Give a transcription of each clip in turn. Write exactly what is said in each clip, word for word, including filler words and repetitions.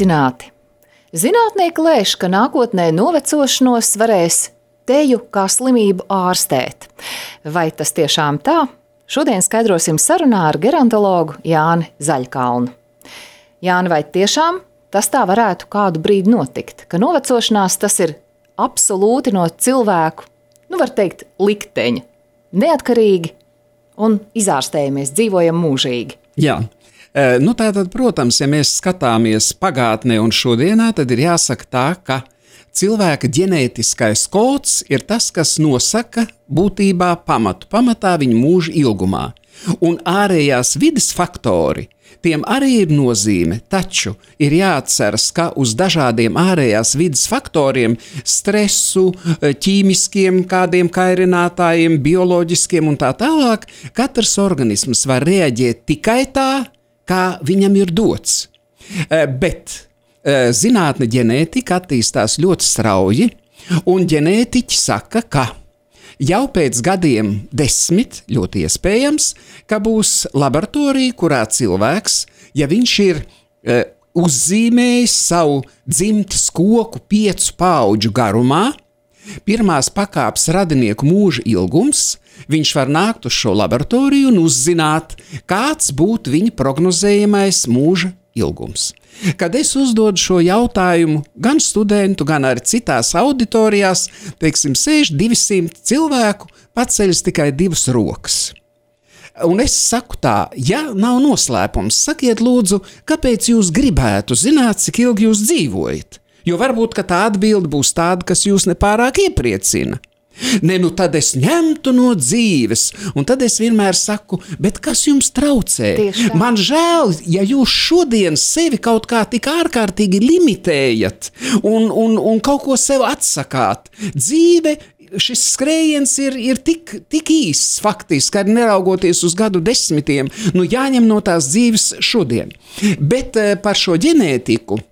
Sveicināti! Zinātnieki lēš, ka nākotnē novecošanos varēs teju kā slimību ārstēt. Vai tas tiešām tā? Šodien skaidrosim sarunā ar gerontologu Jāni Zaļkalnu. Jāni, vai tiešām tas tā varētu kādu brīdi notikt, ka novecošanās tas ir absolūti no cilvēku, nu var teikt, likteņa, neatkarīgi un izārstējamies, dzīvojam mūžīgi? Jā. Nu tātad, protams, ja mēs skatāmies pagātnē un šodienā, tad ir jāsaka tā, ka cilvēka ģenētiskais kods ir tas, kas nosaka būtībā pamatu, pamatā viņa mūža ilgumā. Un ārējās vides faktori, tiem arī ir nozīme, taču ir jāatceras, ka uz dažādiem ārējās vides faktoriem, stresu, ķīmiskiem kādiem kairinātājiem, bioloģiskiem un tā tālāk, katrs organisms var reaģēt tikai tā, kā viņam ir dots. Bet zinātne ģenētika attīstās ļoti strauji, un ģenētiķi saka, ka jau pēc gadiem desmit, ļoti iespējams, ka būs laboratorija, kurā cilvēks, ja viņš ir e, uzzīmējis savu dzimtes koku piecu paudžu garumā, pirmās pakāpes radinieku mūža ilgums, viņš var nākt uz šo laboratoriju un uzzināt, kāds būtu viņa prognozējamais mūža ilgums. Kad es uzdodu šo jautājumu gan studentu, gan arī citās auditorijās, teiksim, sēž divsimt cilvēku, paceļas tikai divas rokas. Un es saku tā, ja nav noslēpums, sakiet lūdzu, kāpēc jūs gribētu zināt, cik ilgi jūs dzīvojat? Jo varbūt, ka tā atbilde būs tāda, kas jūs nepārāk iepriecina. Ne, nu tad es ņemtu no dzīves, un tad es vienmēr saku, bet kas jums traucē? Man žēl, ja jūs šodien sevi kaut kā tik ārkārtīgi limitējat un, un, un kaut ko sev atsakāt. Dzīve, šis skrējiens ir, ir tik, tik īsts faktiski, arī neraugoties uz gadu desmitiem, nu jāņem no tās dzīves šodien. Bet par šo ģenētiku.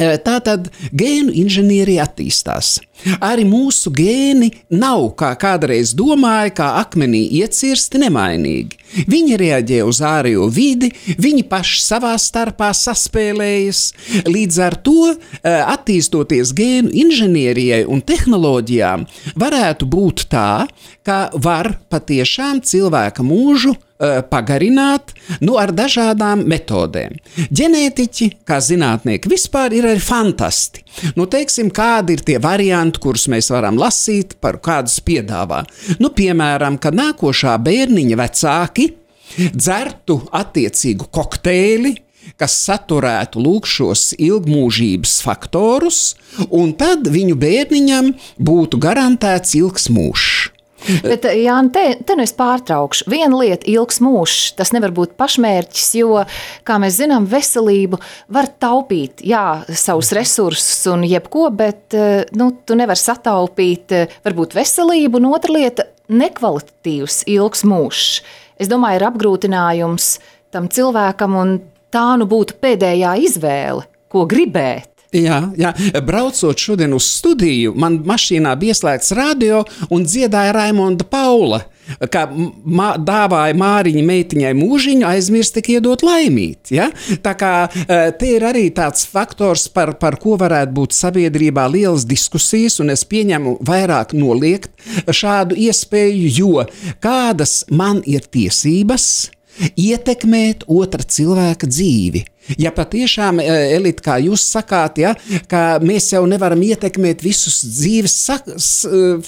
Tātad gēnu inženierija attīstās. Arī mūsu gēni nav, kā kādreiz domāja, kā akmenī iecirsti nemainīgi. Viņi reaģē uz ārējo vidi, viņi paši savā starpā saspēlējas. Līdz ar to, attīstoties gēnu inženierijai un tehnoloģijām, varētu būt tā, ka var patiešām cilvēka mūžu pagarināt, nu, ar dažādām metodēm. Ģenētiķi, kā zinātnieki, vispār ir arī fantasti. Nu, teiksim, kādi ir tie varianti, kurus mēs varam lasīt, par kādus piedāvā. Nu, piemēram, ka nākošā bērniņa vecāki dzertu attiecīgu kokteili, kas saturētu lūk šos ilgmūžības faktorus, un tad viņu bērniņam būtu garantēts ilgs mūžs. Bet, Jāni, te, te nu es pārtraukšu. Viena lieta ilgs mūžs, tas nevar būt pašmērķis, jo, kā mēs zinām, veselību var taupīt, jā, savus resursus un jebko, bet, nu, tu nevar sataupīt varbūt veselību, un otra lieta nekvalitatīvs ilgs mūžs. Es domāju, ir apgrūtinājums tam cilvēkam, un tā nu būtu pēdējā izvēle, ko gribēt. Jā, jā, braucot šodien uz studiju, man mašīnā bija ieslēgts radio un dziedāja Raimonda Paula, kā mā, dāvāja Māriņa meitiņai mūžiņu, aizmirst tik iedot laimīt. Ja? Tā kā te ir arī tāds faktors, par, par ko varētu būt sabiedrībā lielas diskusijas, un es pieņemu vairāk noliegt šādu iespēju, jo kādas man ir tiesības ietekmēt otra cilvēka dzīvi. Ja patiešām, Elita, kā jūs sakāt, ja, ka mēs jau nevaram ietekmēt visus dzīves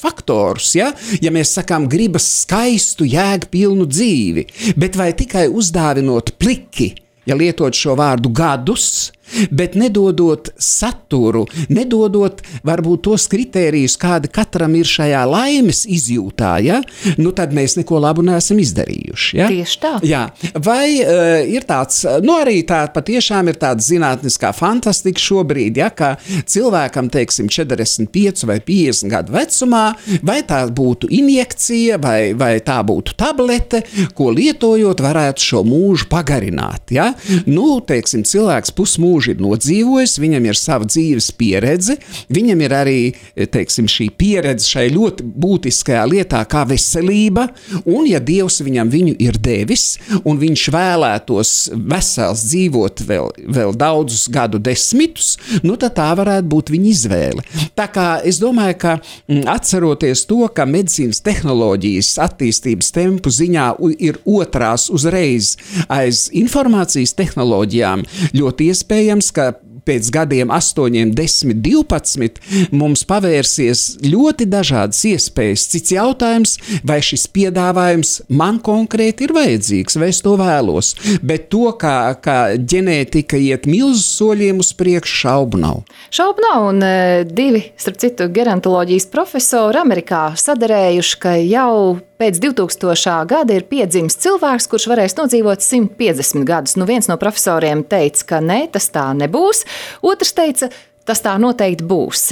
faktorus, ja, ja mēs sakām gribas skaistu, jēgpilnu dzīvi, bet vai tikai uzdāvinot pliki, ja lietot šo vārdu gadus, bet nedodot saturu, nedodot varbūt tos kritērijus, kādi katram ir šajā laimes izjūtā, ja? Nu tad mēs neko labu neesam izdarījuši. Ja? Tieši tā. Jā. Vai uh, ir tāds, nu arī tā patiešām ir tāda zinātniskā fantastika šobrīd, ja, ka cilvēkam, teiksim, četrdesmit pieci vai piecdesmit gadu vecumā, vai tā būtu injekcija, vai, vai tā būtu tablete, ko lietojot varētu šo mūžu pagarināt, ja? Nu, teiksim, cilvēks pusmūžu mūžu ir nodzīvojis, viņam ir sava dzīves pieredze, viņam ir arī, teiksim, šī pieredze šai ļoti būtiskajā lietā kā veselība, un ja Dievs viņam viņu ir devis, un viņš vēlētos vesels dzīvot vēl, vēl daudzus gadu desmitus, nu tad tā varētu būt viņa izvēle. Tā kā es domāju, ka m, atceroties to, ka medicīnas tehnoloģijas attīstības tempu ziņā ir otrās uzreiz aiz informācijas tehnoloģijām, ļoti iespējams, ka pēc gadiem astoņiem, desmit, divpadsmit mums pavērsies ļoti dažādas iespējas. Cits jautājums, vai šis piedāvājums man konkrēti ir vajadzīgs, vai es to vēlos. Bet to, kā, kā ģenētika iet milzu soļiem uz priekšu, šaubu nav. Šaubu nav, un divi, starp citu, gerontoloģijas profesori Amerikā sadarējuši, ka jau pēc divtūkstošā gada ir piedzimis cilvēks, kurš varēs nodzīvot simt piecdesmit gadus. Nu, viens no profesoriem teica, ka ne, tas tā nebūs. Otrs teica, tas tā noteikti būs.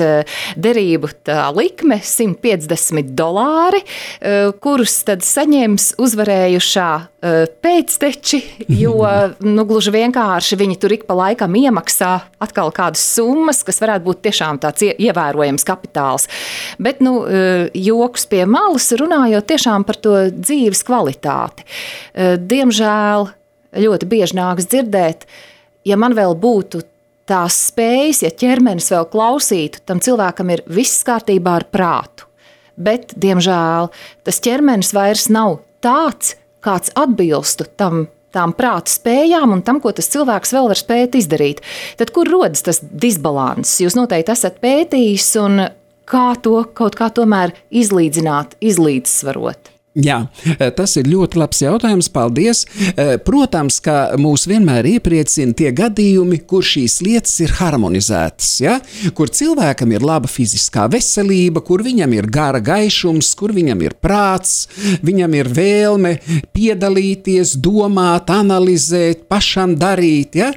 Derību tā likme simt piecdesmit dolāri, kurus tad saņems uzvarējušā pēcteči, jo nu, gluži vienkārši viņi tur ik pa laikam iemaksā atkal kādas summas, kas varētu būt tiešām tāds ievērojams kapitāls. Bet, nu, joks pie malas, runājot tiešām par to dzīves kvalitāti. Diemžēl ļoti bieži nāks dzirdēt, ja man vēl būtu tās spējas, ja ķermenis vēl klausītu, tam cilvēkam ir viss kārtībā ar prātu. Bet, diemžēl, tas ķermenis vairs nav tāds, kāds atbilstu tam, tām prāta spējām un tam, ko tas cilvēks vēl var spēt izdarīt. Tad, kur rodas tas disbalans? Jūs noteikti esat pētījis un kā to kaut kā tomēr izlīdzināt, izlīdzsvarot? Jā, tas ir ļoti labs jautājums, paldies. Protams, ka mūs vienmēr iepriecina tie gadījumi, kur šīs lietas ir harmonizētas, ja? Kur cilvēkam ir laba fiziskā veselība, kur viņam ir gara gaišums, kur viņam ir prāts, viņam ir vēlme piedalīties, domāt, analizēt, pašam darīt, ja?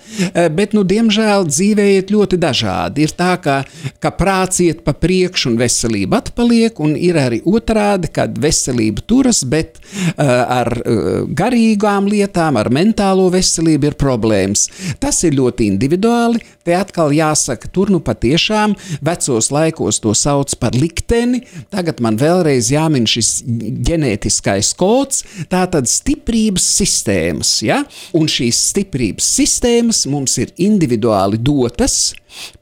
Bet, nu, diemžēl dzīvē iet ļoti dažādi. Ir tā, ka, ka prāts iet pa priekšu un veselība atpaliek, un ir arī otrādi, kad veselība tur, bet uh, ar uh, garīgām lietām, ar mentālo veselību ir problēmas. Tas ir ļoti individuāli. Te atkal jāsaka, tur nu patiešām vecos laikos to sauc par likteni. Tagad man vēlreiz jāmin šis ģenētiskais kods, tātad stiprības sistēmas. Ja? Un šīs stiprības sistēmas mums ir individuāli dotas.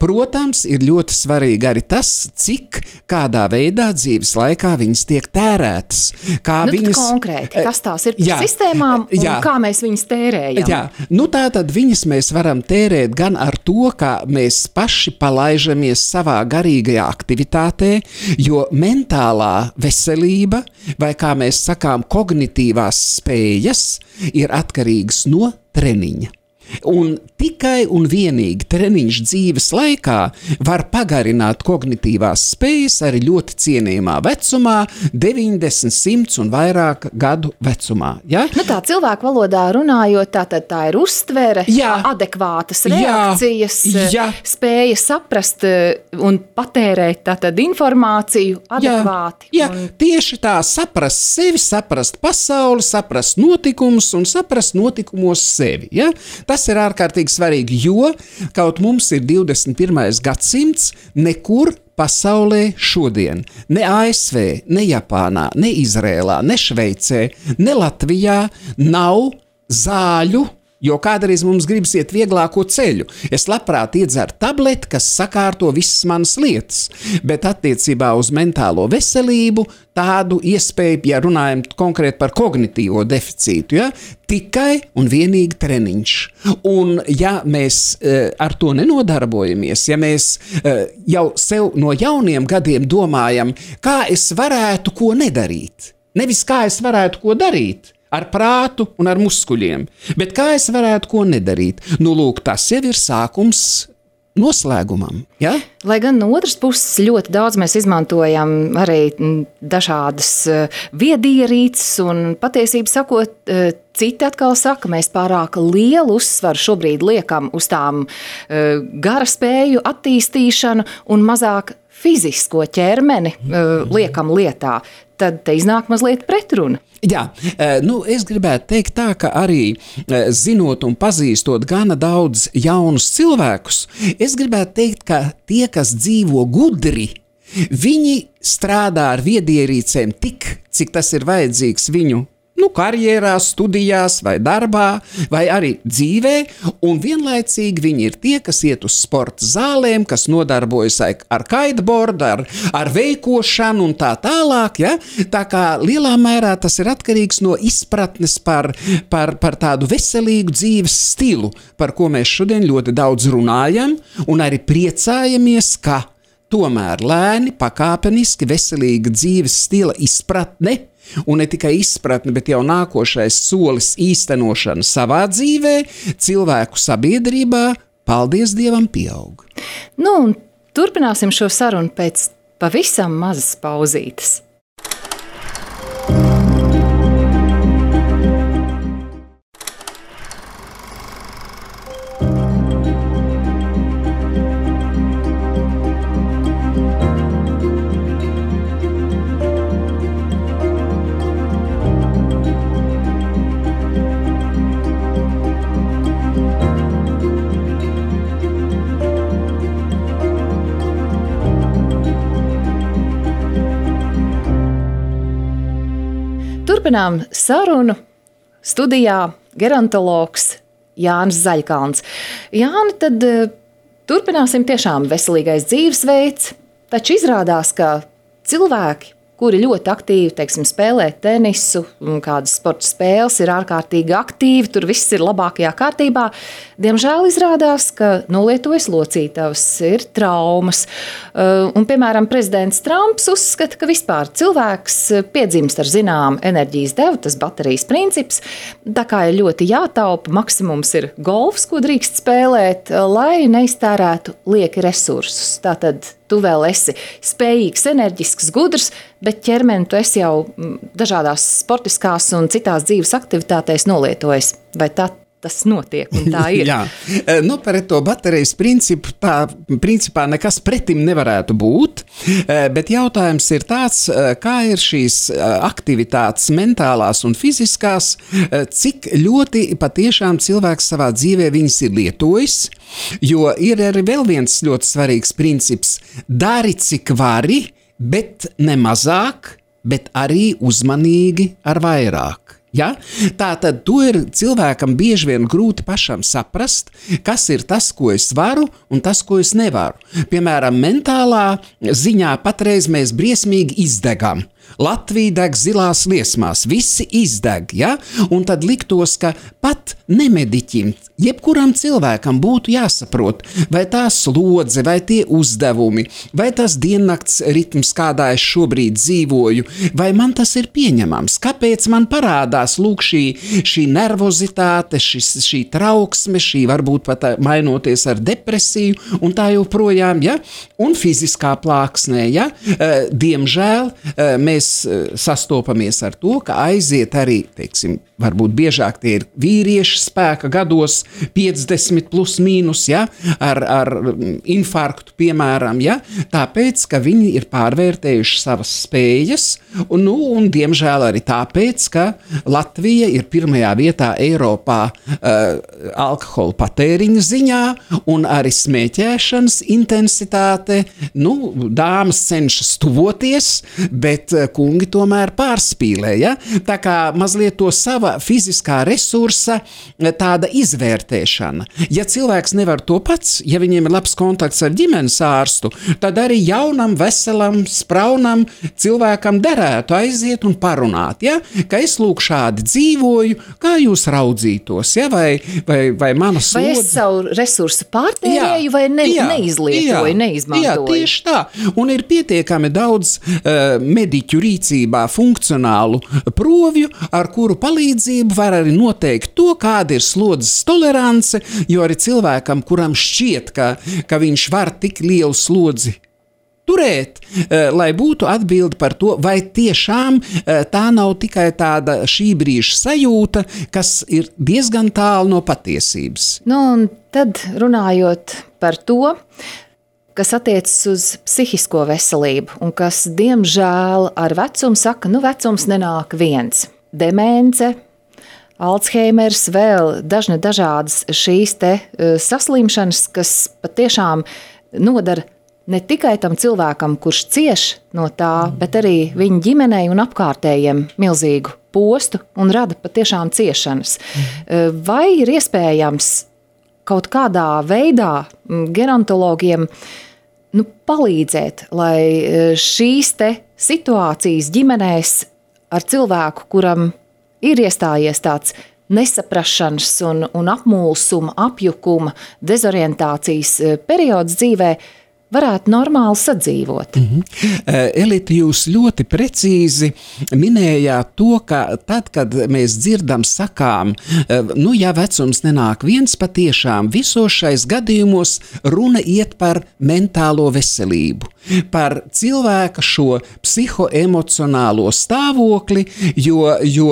Protams, ir ļoti svarīgi arī tas, cik kādā veidā dzīves laikā viņas tiek tērētas. Kā nu, viņas, konkrēti, kas tās ir par jā, sistēmām un jā, kā mēs viņas tērējam? Jā, nu tā tad viņas mēs varam tērēt gan ar to, ka mēs paši palaižamies savā garīgajā aktivitātē, jo mentālā veselība, vai kā mēs sakām, kognitīvās spējas, ir atkarīgas no treniņa. Un tikai un vienīgi treniņš dzīves laikā var pagarināt kognitīvās spējas arī ļoti cienījumā vecumā, deviņdesmit, simts un vairāk gadu vecumā. Ja? Nu tā cilvēku valodā runājot, tā, tā, tā ir uztvere, jā, adekvātas reakcijas, jā, jā. Spēja saprast un patērēt tātad informāciju adekvāti. Jā, jā, un... tieši tā, saprast sevi, saprast pasauli, saprast notikumus un saprast notikumos sevi. Ja? Tas ir ārkārtīgi svarīgi, jo kaut mums ir divdesmit pirmais gadsimts, nekur pasaulē šodien, ne A S V, ne Japānā, ne Izrēlā, ne Šveicē, ne Latvijā nav zāļu, jo kādreiz mums gribas iet vieglāko ceļu. Es labprāt iedzeru tableti, kas sakārto visas manas lietas, bet attiecībā uz mentālo veselību tādu iespēju, ja runājam konkrēti par kognitīvo deficītu, ja, tikai un vienīgi treniņš. Un ja mēs e, ar to nenodarbojamies, ja mēs e, jau sev no jauniem gadiem domājam, kā es varētu ko nedarīt, nevis kā es varētu ko darīt, ar prātu un ar muskuļiem. Bet kā es varētu ko nedarīt? Nu, lūk, tas jau ir sākums noslēgumam. Ja? Lai gan no otras puses ļoti daudz mēs izmantojam arī dažādas viedierīces un patiesību sakot, citi atkal saka, mēs pārāk lielu uzsvaru šobrīd liekam uz tām gara spēju attīstīšanu un mazāk fizisko ķermeni liekam lietā. tad te iznāk mazliet pretruna. Jā, nu es gribētu teikt tā, ka arī zinot un pazīstot gana daudz jaunus cilvēkus, es gribētu teikt, ka tie, kas dzīvo gudri, viņi strādā ar viedierīcēm tik, cik tas ir vajadzīgs viņu nu, karjerā, studijās vai darbā, vai arī dzīvē, un vienlaicīgi viņi ir tie, kas iet uz sporta zālēm, kas nodarbojas ar kiteboardu, ar, ar veikošanu un tā tālāk, ja? Tā kā lielā mērā tas ir atkarīgs no izpratnes par, par, par tādu veselīgu dzīves stilu, par ko mēs šodien ļoti daudz runājam, un arī priecājamies, ka tomēr lēni, pakāpeniski, veselīga dzīves stila izpratne, un ne tikai izpratne, bet jau nākošais solis īstenošana savā dzīvē, cilvēku sabiedrībā, paldies Dievam, pieaug. Nu, un turpināsim šo sarunu pēc pavisam mazas pauzītes. Turpinām sarunu studijā gerontologs Jānis Zaļkalns. Jāni, tad turpināsim tiešām veselīgais dzīvesveids, taču izrādās, ka cilvēki, kuri ļoti aktīvi, teiksim, spēlē tenisu un kādas sporta spēles, ir ārkārtīgi aktīvi, tur viss ir labākajā kārtībā. Diemžēl izrādās, ka nolietojas locītavas, ir traumas. Un, piemēram, prezidents Trumps uzskata, ka vispār cilvēks piedzimst ar zinām enerģijas devu, tas baterijas princips. Tā kā ir ļoti jātaupa, maksimums ir golfs, ko drīkst spēlēt, lai neiztērētu lieki resursus. Tātad tu vēl esi spējīgs, enerģisks, gudrs, bet ķermeni tu esi jau dažādās sportiskās un citās dzīves aktivitātēs nolietojis. Vai tā tas notiek un tā ir? Jā, nu par to baterijas principu tā principā nekas pretim nevarētu būt, bet jautājums ir tāds, kā ir šīs aktivitātes mentālās un fiziskās, cik ļoti patiešām cilvēks savā dzīvē viņas ir lietojis, jo ir arī vēl viens ļoti svarīgs princips – dari cik vari, bet ne mazāk, bet arī uzmanīgi ar vairāk. Ja? Tātad to ir cilvēkam bieži vien grūti pašam saprast, kas ir tas, ko es varu un tas, ko es nevaru. Piemēram, mentālā ziņā patreiz mēs briesmīgi izdegam. Latvija deg zilās liesmās, visi izdeg, ja? Un tad liktos, ka pat nemediķim, jebkuram cilvēkam būtu jāsaprot, vai tā slodze, vai tie uzdevumi, vai tas diennakts ritms, kādā es šobrīd dzīvoju, vai man tas ir pieņemams, kāpēc man parādās lūk šī, šī nervozitāte, šis, šī trauksme, šī varbūt pat mainoties ar depresiju un tā joprojām, ja? Un fiziskā plāksnē, ja? Diemžēl mēs sastopamies ar to, ka aiziet arī, teiksim, varbūt biežāk tie ir vīrieši spēka gados, piecdesmit plus mīnus, ja, ar, ar infarktu, piemēram, ja, tāpēc, ka viņi ir pārvērtējuši savas spējas, un, nu, un diemžēl arī tāpēc, ka Latvija ir pirmajā vietā Eiropā uh, alkohola patēriņa ziņā, un arī smēķēšanas intensitāte, nu, dāmas cenšas tuvoties, bet kungi tomēr pārspīlē, ja? Tā kā mazliet to sava fiziskā resursa tāda izvērtēšana. Ja cilvēks nevar to pats, ja viņiem ir labs kontakts ar ģimenes ārstu, tad arī jaunam, veselam, spraunam cilvēkam derētu aiziet un parunāt, ja? Ka es lūk šādi dzīvoju, kā jūs raudzītos, ja? vai, vai, vai mana slodze. Vai es savu resursu pārtērēju, jā, vai ne, jā, neizlietoju, jā, neizmantoju. Jā, tieši tā. Un ir pietiekami daudz uh, mediķu rīcībā funkcionālu provju, ar kuru palīdzību var arī noteikt to, kāda ir slodzes tolerance, jo arī cilvēkam, kuram šķiet, ka, ka viņš var tik lielu slodzi turēt, lai būtu atbildi par to, vai tiešām tā nav tikai tāda šī brīža sajūta, kas ir diezgan tālu no patiesības. Nu, un tad runājot par to, kas attiecas uz psihisko veselību un kas, diemžēl, ar vecumu saka, nu vecums nenāk viens. Demence, Alzheimers, vēl dažne dažādas šīs te saslimšanas, kas patiešām nodara ne tikai tam cilvēkam, kurš cieš no tā, bet arī viņa ģimenei un apkārtējiem milzīgu postu un rada patiešām ciešanas. Vai ir iespējams kaut kādā veidā gerontologiem nu, palīdzēt, lai šīs te situācijas ģimenēs ar cilvēku, kuram ir iestājies tāds nesaprašanas un, un apmulsuma, apjukuma, dezorientācijas periods dzīvē, varētu normāli sadzīvot. Mm-hmm. Elita, jūs ļoti precīzi minējāt to, ka tad, kad mēs dzirdam, sakām, nu, ja vecums nenāk viens, patiešām visos šais gadījumos runa iet par mentālo veselību, par cilvēka šo psihoemocionālo stāvokli, jo, jo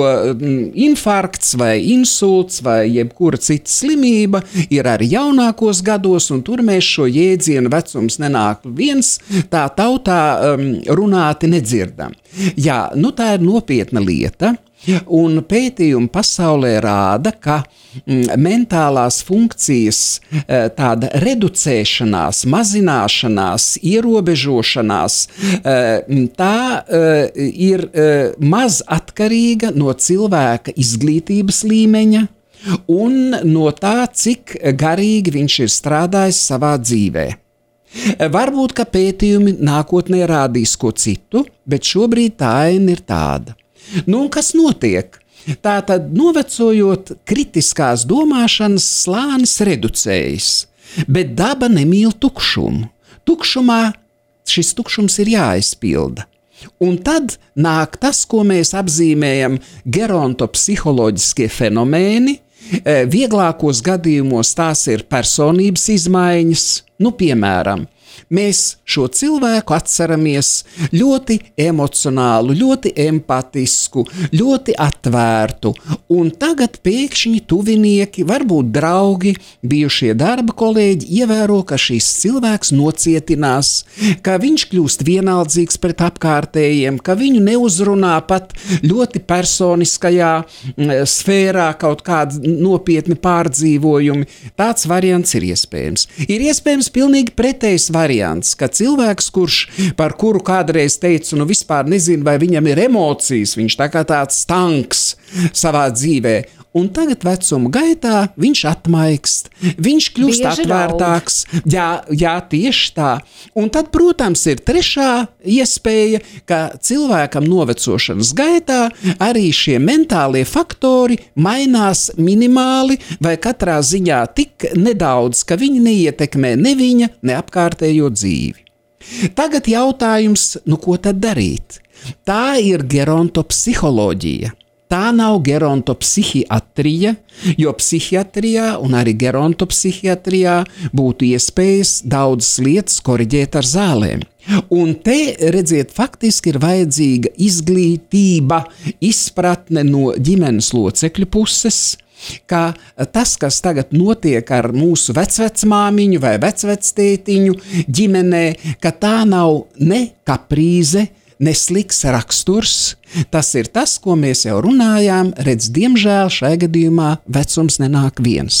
infarkts vai insults vai jebkura cita slimība ir arī jaunākos gados, un tur mēs šo jēdzienu vecums nenāk nāk viens, tā tautā um, runāti nedzirdam. Jā, nu tā ir nopietna lieta, un pētījumi pasaulē rāda, ka mm, mentālās funkcijas tāda reducēšanās, mazināšanās, ierobežošanās, tā ir maz atkarīga no cilvēka izglītības līmeņa un no tā, cik garīgi viņš ir strādājis savā dzīvē. Varbūt, ka pētījumi nākotnē rādīs ko citu, bet šobrīd tā aina ir tāda. Nu, un kas notiek? Tātad, novecojot, kritiskās domāšanas slānis reducējas, bet daba nemīl tukšumu. Tukšumā šis tukšums ir jāizpilda. Un tad nāk tas, ko mēs apzīmējam gerontopsiholoģiskie fenomēni. Vieglākos gadījumos tās ir personības izmaiņas, nu, piemēram, mēs šo cilvēku atceramies ļoti emocionālu, ļoti empatisku, ļoti atvērtu, un tagad pēkšņi tuvinieki, varbūt draugi, bijušie darba kolēģi ievēro, ka šis cilvēks nocietinās, ka viņš kļūst vienaldzīgs pret apkārtējiem, ka viņu neuzrunā pat ļoti personiskajā sfērā kaut kādi nopietni pārdzīvojumi. Tāds variants ir iespējams. Ir iespējams pilnīgi pretējs variants, ka cilvēks, kurš par kuru kādreiz teicu, nu vispār nezinu, vai viņam ir emocijas, viņš tā kā tāds tanks savā dzīvē, un tagad vecuma gaitā viņš atmaikst, viņš kļūst Bieži atvērtāks, jā, jā, tieši tā. Un tad, protams, ir trešā iespēja, ka cilvēkam novecošanas gaitā arī šie mentālie faktori mainās minimāli vai katrā ziņā tik nedaudz, ka viņi neietekmē ne viņa, ne apkārtējo dzīvi. Tagad jautājums, nu ko tad darīt? Tā ir gerontopsiholoģija. Tā nav gerontopsihiatrija, jo psihiatrijā un arī gerontopsihiatrijā būtu iespējas daudzas lietas koriģēt ar zālēm. Un te, redziet, faktiski ir vajadzīga izglītība, izpratne no ģimenes locekļu puses, ka tas, kas tagad notiek ar mūsu vecvecmāmiņu vai vecvectētiņu ģimenē, ka tā nav ne kaprīze, nesliks raksturs, tas ir tas, ko mēs jau runājām, redz, diemžēl šajā gadījumā vecums nenāk viens.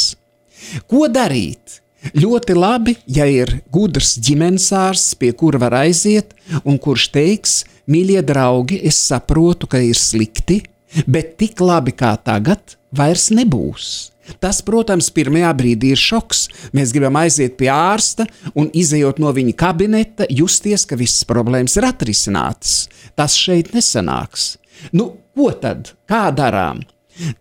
Ko darīt? Ļoti labi, ja ir gudrs ģimenesārsts, pie kura var aiziet, un kurš teiks, mīļie draugi, es saprotu, ka ir slikti, bet tik labi kā tagad vairs nebūs. Tas, protams, pirmajā brīdī ir šoks. Mēs gribam aiziet pie ārsta un izejot no viņa kabineta, justies, ka visas problēmas ir atrisinātas. Tas šeit nesanāks. Nu, ko tad? Kā darām?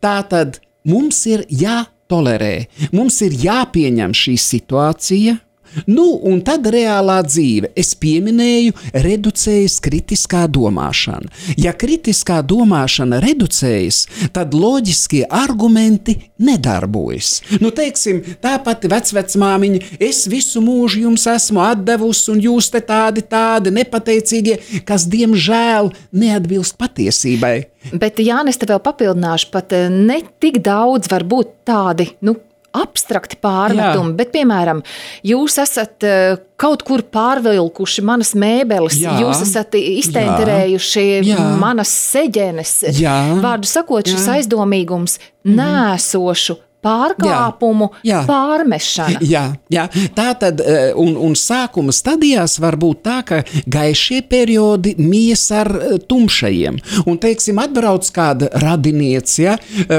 Tā tad mums ir jātolerē, mums ir jāpieņem šī situācija. Nu, un tad reālā dzīve. Es pieminēju, reducējas kritiskā domāšana. Ja kritiskā domāšana reducējas, tad loģiskie argumenti nedarbojas. Nu, teiksim, tā pati vecvecmāmiņa, es visu mūžu jums esmu atdevusi, un jūs te tādi, tādi nepateicīgie, kas, diemžēl, neatbilst patiesībai. Bet, Jānis, te vēl papildināšu, pat ne tik daudz var būt tādi, nu, abstrakti pārmetumi, Jā. bet, piemēram, jūs esat uh, kaut kur pārvilkuši manas mēbeles, Jā. jūs esat iztenterējuši Jā. manas seģenes. Jā. Vārdu sakot, šis Jā. aizdomīgums nēsošu pārkāpumu Jā. Jā. pārmešana. Jā, jā. Tā tad, un, un sākuma stadijās var būt tā, ka gaišie periodi mies ar tumšajiem. Un, teiksim, atbrauc kāda radiniece, ja,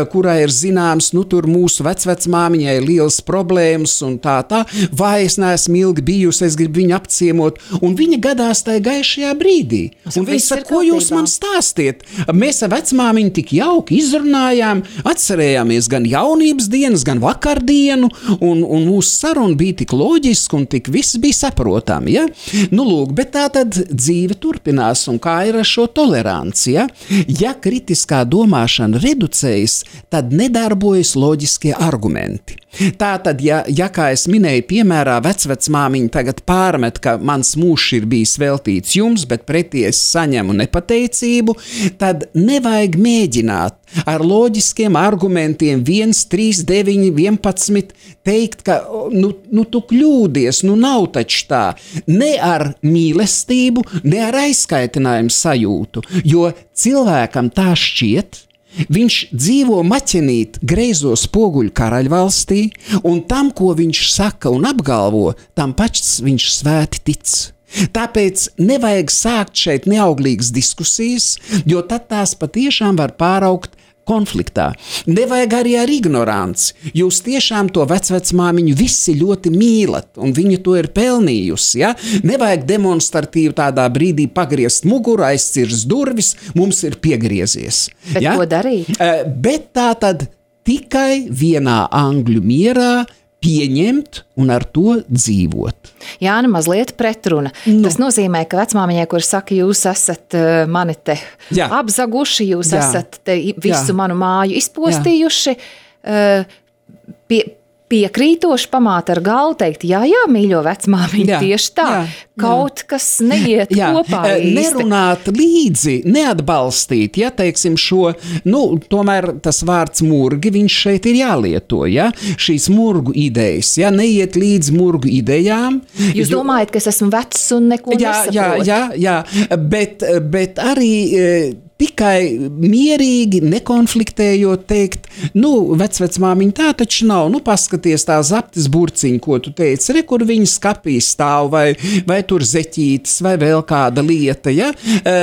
kurā ir zināms, nu, tur mūsu vecvecmāmiņai ir liels problēmas un tā, tā, vai es neesmu ilgi bijusi, es gribu viņu apciemot, un viņa gadās tajā gaišajā brīdī. Un viņa saka, ko jūs man stāstiet? Mēs ar vecmāmiņu tik jauki izrunājām, atcerējāmies gan jaunības dienas, gan vakardienu, un, un mūsu saruna bija tik loģiska un tik viss bija saprotami, ja? Nu, lūk, bet tā tad dzīve turpinās, un kā ir ar šo toleranci, ja? Ja kritiskā domāšana reducējas, tad nedarbojas loģiskie argumenti. Tā tad, ja, ja kā es minēju, piemērā vecvecmāmiņa tagad pārmet, ka mans mūžs ir bijis veltīts jums, bet pretī es saņemu nepateicību, tad nevajag mēģināt ar loģiskiem argumentiem viens, trīs, deviņi, vienpadsmit teikt, ka nu, nu tu kļūdies, nu nav taču tā. Ne ar mīlestību, ne ar aizskaitinājumu sajūtu, jo cilvēkam tā šķiet. Viņš dzīvo maķenīt greizo spoguļu karaļvalstī, un tam, ko viņš saka un apgalvo, tam pats viņš svēti tic. Tāpēc nevajag sākt šeit neauglīgas diskusijas, jo tad tās patiešām var pāraukt konfliktā. Nevajag arī ar ignoranci. Jūs tiešām to vecvecmāmiņu visi ļoti mīlat, un viņa to ir pelnījusi. Ja? Nevajag demonstratīvi tādā brīdī pagriezt muguru, aizcirst durvis, mums ir piegriezies. Bet ja? ko darīt? Uh, bet tā tad tikai vienā angļu mierā pieņemt un ar to dzīvot. Jāna, mazliet pretruna. Nu. Tas nozīmē, ka vecmāmiņai, kur saka, jūs esat uh, mani te Jā. apzaguši, jūs Jā. esat te visu Jā. manu māju izpostījuši, uh, pie, piekrītoši pamāt ar galvu teikt, jā, jā, mīļo vecmāmiņu, Jā. tieši tā, Jā. kaut kas neiet Jā, kopā īsti. nerunāt līdzi, neatbalstīt, ja, teiksim, šo, nu, tomēr tas vārds murgi, viņš šeit ir jālieto, ja, šīs murgu idejas, ja, neiet līdz murgu idejām. Jūs jo, domājat, ka es esmu vecs un neko jā, jā, nesaprotu? jā, jā, bet, bet arī tikai mierīgi, nekonfliktējot teikt, nu, vecvecmāmiņa tā taču nav, nu, paskaties tā zaptes burciņa, ko tu teici, re, kur viņa skapī stāv, vai, vai tur zeķītes, vai vēl kāda lieta, ja,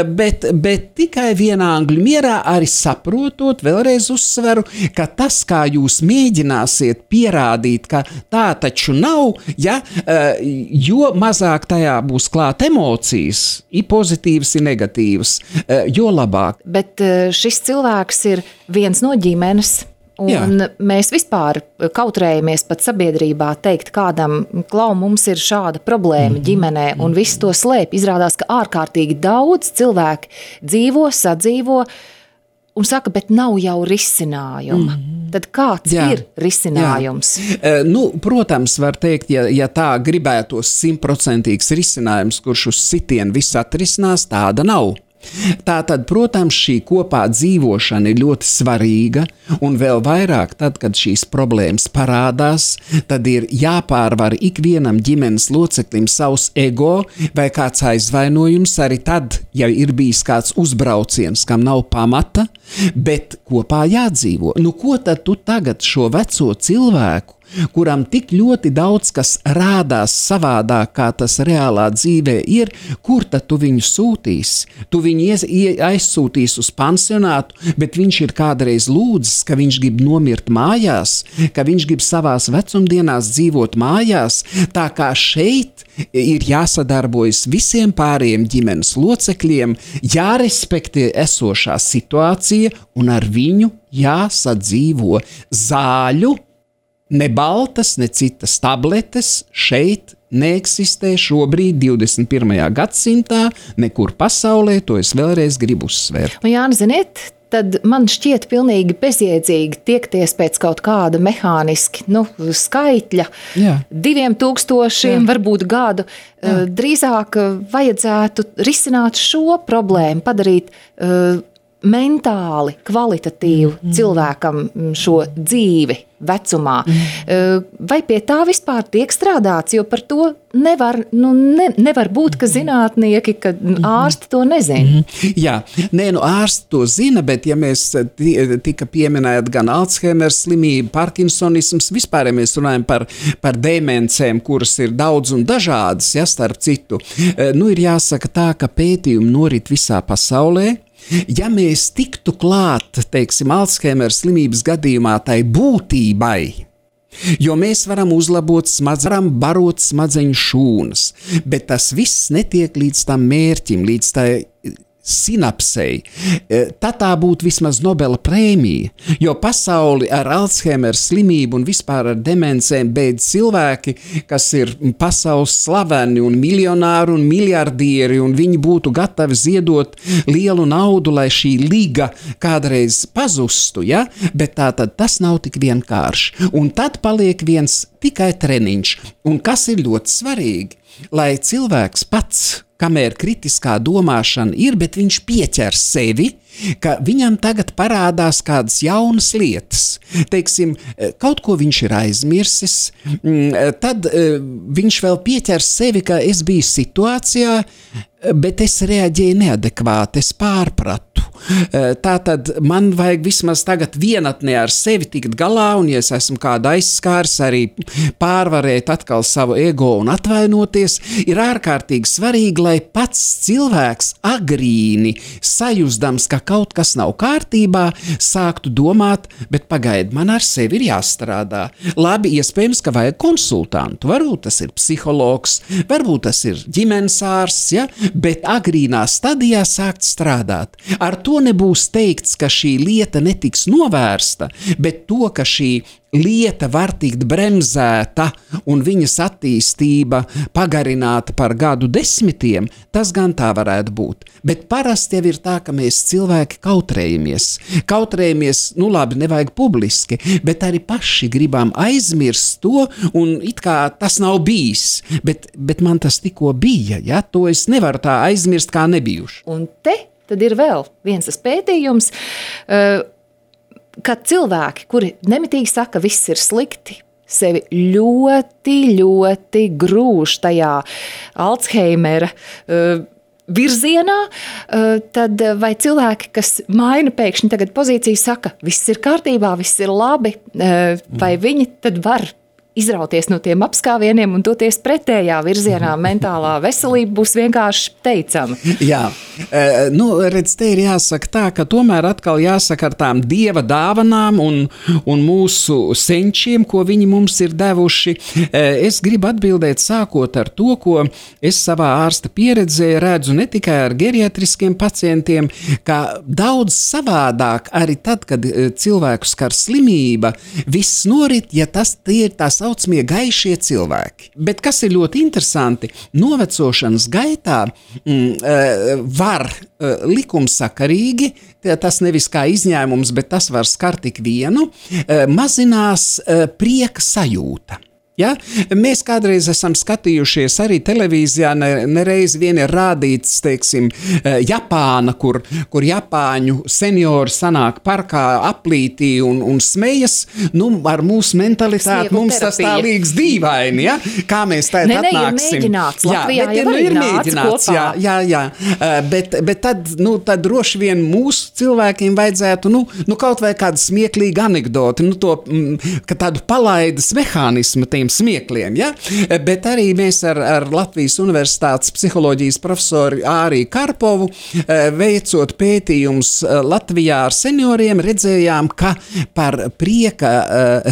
bet, bet tikai vienā angļu mierā arī saprotot, vēlreiz uzsveru, ka tas, kā jūs mēģināsiet pierādīt, ka tā taču nav, ja, jo mazāk tajā būs klāt emocijas, ir pozitīvas, ir negatīvas, jo labāk. Bet šis cilvēks ir viens no ģimenes, un Jā. mēs vispār kautrējamies pat sabiedrībā teikt kādam, klau, mums ir šāda problēma mm-hmm. ģimenē, un viss to slēp. Izrādās, ka ārkārtīgi daudz cilvēki dzīvo, sadzīvo, un saka, bet nav jau risinājuma. Mm-hmm. Tad kāds Jā. ir risinājums? Jā. Nu, protams, var teikt, ja, ja tā gribētos simtprocentīgs risinājums, kurš uz sitienu viss atrisinās, tāda nav. Tātad, protams, šī kopā dzīvošana ir ļoti svarīga, un vēl vairāk tad, kad šīs problēmas parādās, tad ir jāpārvar ikvienam ģimenes loceklim savs ego vai kāds aizvainojums, arī tad, ja ir bijis kāds uzbrauciens, kam nav pamata, bet kopā jādzīvo. Nu, ko tad tu tagad šo veco cilvēku, kuram tik ļoti daudz kas rādās savādāk, kā tas reālā dzīvē ir, kur tad tu viņu sūtīsi? Tu viņu ies, aizsūtīsi uz pansionātu, bet viņš ir kādreiz lūdzis, ka viņš grib nomirt mājās, ka viņš grib savās vecumdienās dzīvot mājās, tā kā šeit ir jāsadarbojas visiem pārējiem ģimenes locekļiem, jārespektē esošā situācija un ar viņu jāsadzīvo. Zāļu, ne baltas, ne citas tabletes šeit neeksistē šobrīd divdesmit pirmajā gadsimtā, nekur pasaulē, to es vēlreiz gribu uzsvērt. Un Jāni, ziniet, tad man šķiet pilnīgi bezjēdzīgi tiekties pēc kaut kāda mehāniski, nu, skaitļa, Jā. diviem tūkstošiem, Jā. varbūt gadu. Jā. Drīzāk vajadzētu risināt šo problēmu, padarīt uh, mentāli, kvalitatīvu mm. cilvēkam šo dzīvi vecumā. Mm. Vai pie tā vispār tiek strādāts, jo par to nevar, nu, ne, nevar būt, ka zinātnieki, ka ārsti to nezina. Mm. Jā, nē, nu ārsti to zina, bet ja mēs tika pieminēt gan Alzheimer slimība, Parkinsonisms, vispār, ja mēs runājam par, par demencēm, kuras ir daudz un dažādas, ja, starp citu, nu ir jāsaka tā, ka pētījumi norit visā pasaulē. Ja mēs tiktu klāt, teiksim, Alzheimer slimības gadījumā tai būtībai, jo mēs varam uzlabot smadzenes, varam barot smadzeņu šūnas, bet tas viss netiek līdz tam mērķim, līdz tai sinapsei, tad tā būtu vismaz Nobela prēmija, jo pasauli ar Alzheimer slimību un vispār ar demencēm beidz cilvēki, kas ir pasaules slaveni un miljonāri un miljardieri, un viņi būtu gatavi ziedot lielu naudu, lai šī liga kādreiz pazustu, ja? Bet tā tad tas nav tik vienkārši. Un tad paliek viens tikai treniņš, un kas ir ļoti svarīgi, lai cilvēks pats, kamēr kritiskā domāšana ir, bet viņš pieķer sevi, ka viņam tagad parādās kādas jaunas lietas. Teiksim, kaut ko viņš ir aizmirsis, tad viņš vēl pieķer sevi, ka es biju situācijā, bet es reaģēju neadekvāti, es pārpratu. Tātad man vajag vismaz tagad vienatnē ar sevi tikt galā, un ja es esmu kādu aizskārs, arī pārvarēt atkal savu ego un atvainoties, ir ārkārtīgi svarīgi, lai pats cilvēks agrīni sajūsdams, ka kaut kas nav kārtībā, sāktu domāt, bet pagaid, man ar sevi ir jāstrādā. Labi, iespējams, ka vajag konsultantu, varbūt tas ir psihologs, varbūt tas ir ģimenes ārsts, ja? Bet agrīnā stadijā sākt strādāt. Ar to nebūs teikts, ka šī lieta netiks novērsta, bet to, ka šī lieta var tikt bremzēta un viņas attīstība pagarināta par gadu desmitiem, tas gan tā varētu būt. Bet parasti jau ir tā, ka mēs cilvēki kautrējamies. Kautrējamies, nu labi, nevajag publiski, bet arī paši gribam aizmirst to, un it kā tas nav bijis. Bet, bet man tas tikko bija, ja? To es nevaru tā aizmirst, kā nebijuši. Un te tad ir vēl viens tas pētījums, uh, kad cilvēki, kuri nemitīgi saka, viss ir slikti, sevi ļoti, ļoti grūž tajā Alzheimera uh, virzienā, uh, tad vai cilvēki, kas maina pēkšņi tagad pozīciju, saka, viss ir kārtībā, viss ir labi, uh, vai viņi tad var izrauties no tiem apskāvieniem un doties pretējā virzienā, mentālā veselība būs vienkārši teicama. Jā, e, nu, redz, te ir jāsaka tā, ka tomēr atkal jāsaka ar tām dieva dāvanām un, un mūsu senčiem, ko viņi mums ir devuši. E, es gribu atbildēt sākot ar to, ko es savā ārsta pieredzē redzu ne tikai ar geriatriskiem pacientiem, kā daudz savādāk arī tad, kad cilvēku skar slimība, viss norit, ja tas tie ir tās saucamie gaišie cilvēki. Bet kas ir ļoti interesanti, novecošanas gaitā mm, var likumsakarīgi, tas nevis kā izņēmums, bet tas var skart tik vienu, mazinās prieka sajūta. Ja? Mēs kādreiz esam skatījušies arī televīzijā, nereiz ne vien ir rādīts, teiksim, Japāna, kur, kur Japāņu seniori sanāk parkā aplītī un, un smejas, nu, ar mūsu mentalitāti Sniegu mums terapija. Tas tā liekas dīvaini, ja? Kā mēs tā ne, atnāksim. Ne, ir mēģināts, Latvijā jā, bet, jau nu, arī ir nāc mēģināts, kopā. Jā, jā, jā. Bet, bet tad, nu, tad droši vien mūsu cilvēkiem vajadzētu, nu, nu kaut vai kādu smieklīgu anekdoti, nu, to, ka tādu palaidas mehānismu tiem smiekliem, ja? Bet arī mēs ar, ar Latvijas Universitātes psiholoģijas profesoru Āriju Karpovu veicot pētījums Latvijā ar senioriem, redzējām, ka par prieka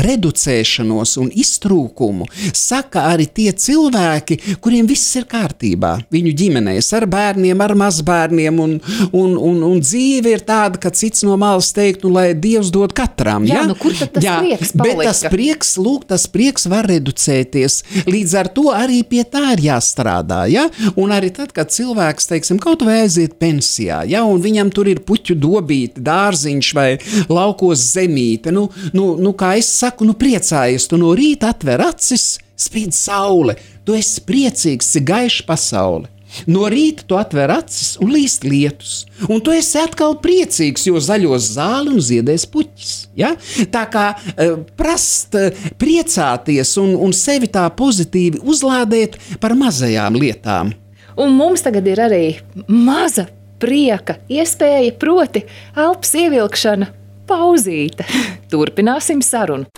reducēšanos un iztrūkumu saka arī tie cilvēki, kuriem viss ir kārtībā, viņu ģimenēs, ar bērniem, ar mazbērniem, un, un, un, un dzīve ir tāda, ka cits no malas teikt, nu, lai Dievs dod katram. Jā, ja? nu kur tad tas jā, prieks palika? Bet tas prieks, lūk, tas prieks var reducēt. Līdz ar to arī pie tā ir jāstrādā, ja? Un arī tad, kad cilvēks, teiksim, kaut vai aiziet pensijā, ja? Un viņam tur ir puķu dobīte, dārziņš vai laukos zemīte, nu, nu, nu kā es saku, nu priecājies, tu no rīta atver acis, spīd saule, tu esi priecīgs, cik gaiša pasaule. No rīta tu atver acis un līst lietus, un tu esi atkal priecīgs, jo zaļos zāli un ziedēs puķis. Ja? Tā kā uh, prast uh, priecāties un, un sevi tā pozitīvi uzlādēt par mazajām lietām. Un mums tagad ir arī maza prieka iespēja, proti elpas ievilkšana pauzīte. Turpināsim sarunu.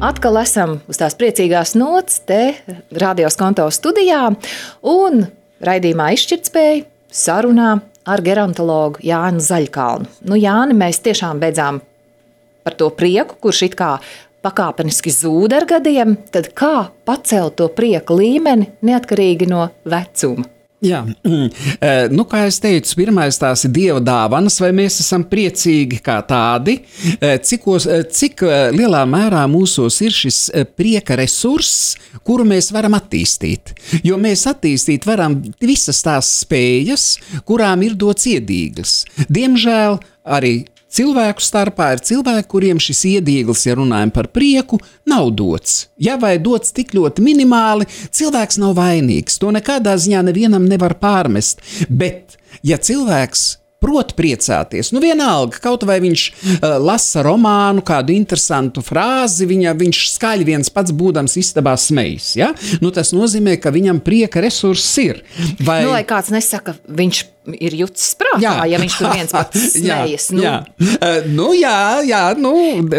Atkal esam uz tās priecīgās nots te Radio Skonto studijā un raidījumā Izšķirtspēja sarunā ar gerontologu Jāni Zaļkalnu. Nu, Jāni, mēs tiešām beidzām par to prieku, kurš it kā pakāpeniski zūd ar gadiem, tad kā pacelt to prieku līmeni neatkarīgi no vecuma? Jā, nu, kā es teicu, pirmais tās ir Dieva dāvanas, vai mēs esam priecīgi kā tādi, cikos, cik lielā mērā mūsos ir šis prieka resurss, kuru mēs varam attīstīt. Jo mēs attīstīt varam visas tās spējas, kurām ir dots iedīglis. Diemžēl arī cilvēku starpā ir cilvēki, kuriem šis iedīglis, ja runājam par prieku, nav dots. Ja vai dots tik ļoti minimāli, cilvēks nav vainīgs. To nekādā ziņā nevienam nevar pārmest. Bet, ja cilvēks prot priecāties, nu vienalga, kaut vai viņš uh, lasa romānu, kādu interesantu frāzi, viņa, viņš skaļi viens pats būdams istabā smejas, ja? Nu, tas nozīmē, ka viņam prieka resurss ir. Vai... Nu, lai kāds nesaka, viņš ir jucis prātā, jā. Ja viņš tur viens pats smejas. Jā, nu, jā. Uh, nu, jā, jā, nu...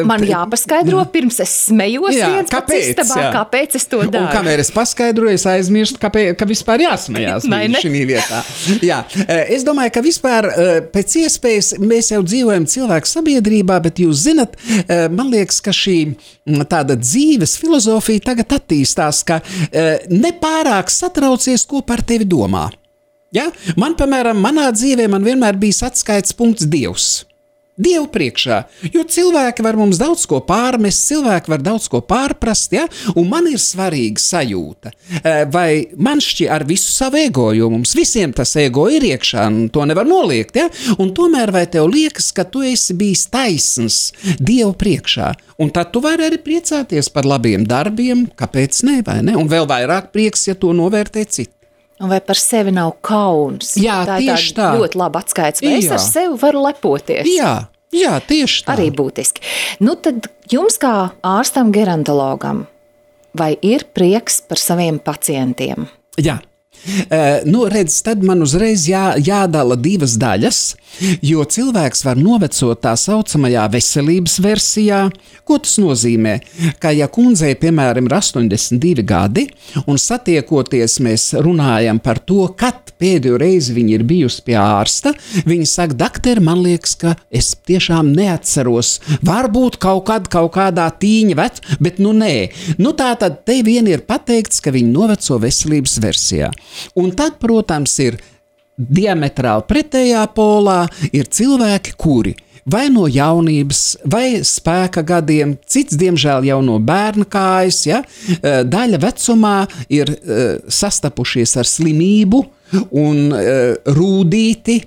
Man jāpaskaidro, pirms es smejos jā, viens kāpēc, pats istabā, jā. Kāpēc es to daru. Un kamēr es paskaidroju, es aizmirstu, kāpēc, ka vispār jāsmejās šī vietā. Jā, es domāju, ka vispār pēc iespējas mēs jau dzīvojam cilvēku sabiedrībā, bet jūs zinat, man liekas, ka šī tāda dzīves filozofija tagad attīstās, ka nepārāk satraucies, ko par tevi domā. Ja? Man, piemēram, manā dzīvē man vienmēr bijis atskaites punkts Dievs. Dievu priekšā, jo cilvēki var mums daudz ko pārmest, cilvēki var daudz ko pārprast, ja? Un man ir svarīga sajūta. Vai man šķi ar visu savu ego, jo mums visiem tas ego ir iekšā, un to nevar noliegt, ja? Un tomēr vai tev liekas, ka tu esi bijis taisns Dievu priekšā, un tad tu vari arī priecāties par labiem darbiem, kāpēc ne, vai ne? Un vēl vairāk prieks, ja to novērtē citi. Un vai par sevi nav kauns? Jā, tā tieši tā. Ļoti labi atskaits, vai jā. Es ar sevi varu lepoties? Jā, jā, tieši tā. Arī būtiski. Nu tad jums kā ārstam gerontologam, vai ir prieks par saviem pacientiem? Jā. Uh, nu, redz, tad man uzreiz jā, jādala divas daļas, jo cilvēks var novecot tā saucamajā veselības versijā. Ko tas nozīmē? Ka ja kundzei, piemēram, ir astoņdesmit divi gadi, un satiekoties mēs runājam par to, kad pēdējo reizi viņa ir bijusi pie ārsta, viņa saka, dakteri, man liekas, ka es tiešām neatceros, varbūt kaut kad kaut kādā tīņa vec, bet nu nē. Nu tā tad te vien ir pateikts, ka viņa noveco veselības versijā. Un tad, protams, ir diametrāli pretējā polā, ir cilvēki, kuri vai no jaunības, vai spēka gadiem, cits, diemžēl, jau no bērna kājas, ja, daļa vecumā ir sastapušies ar slimību un rūdīti,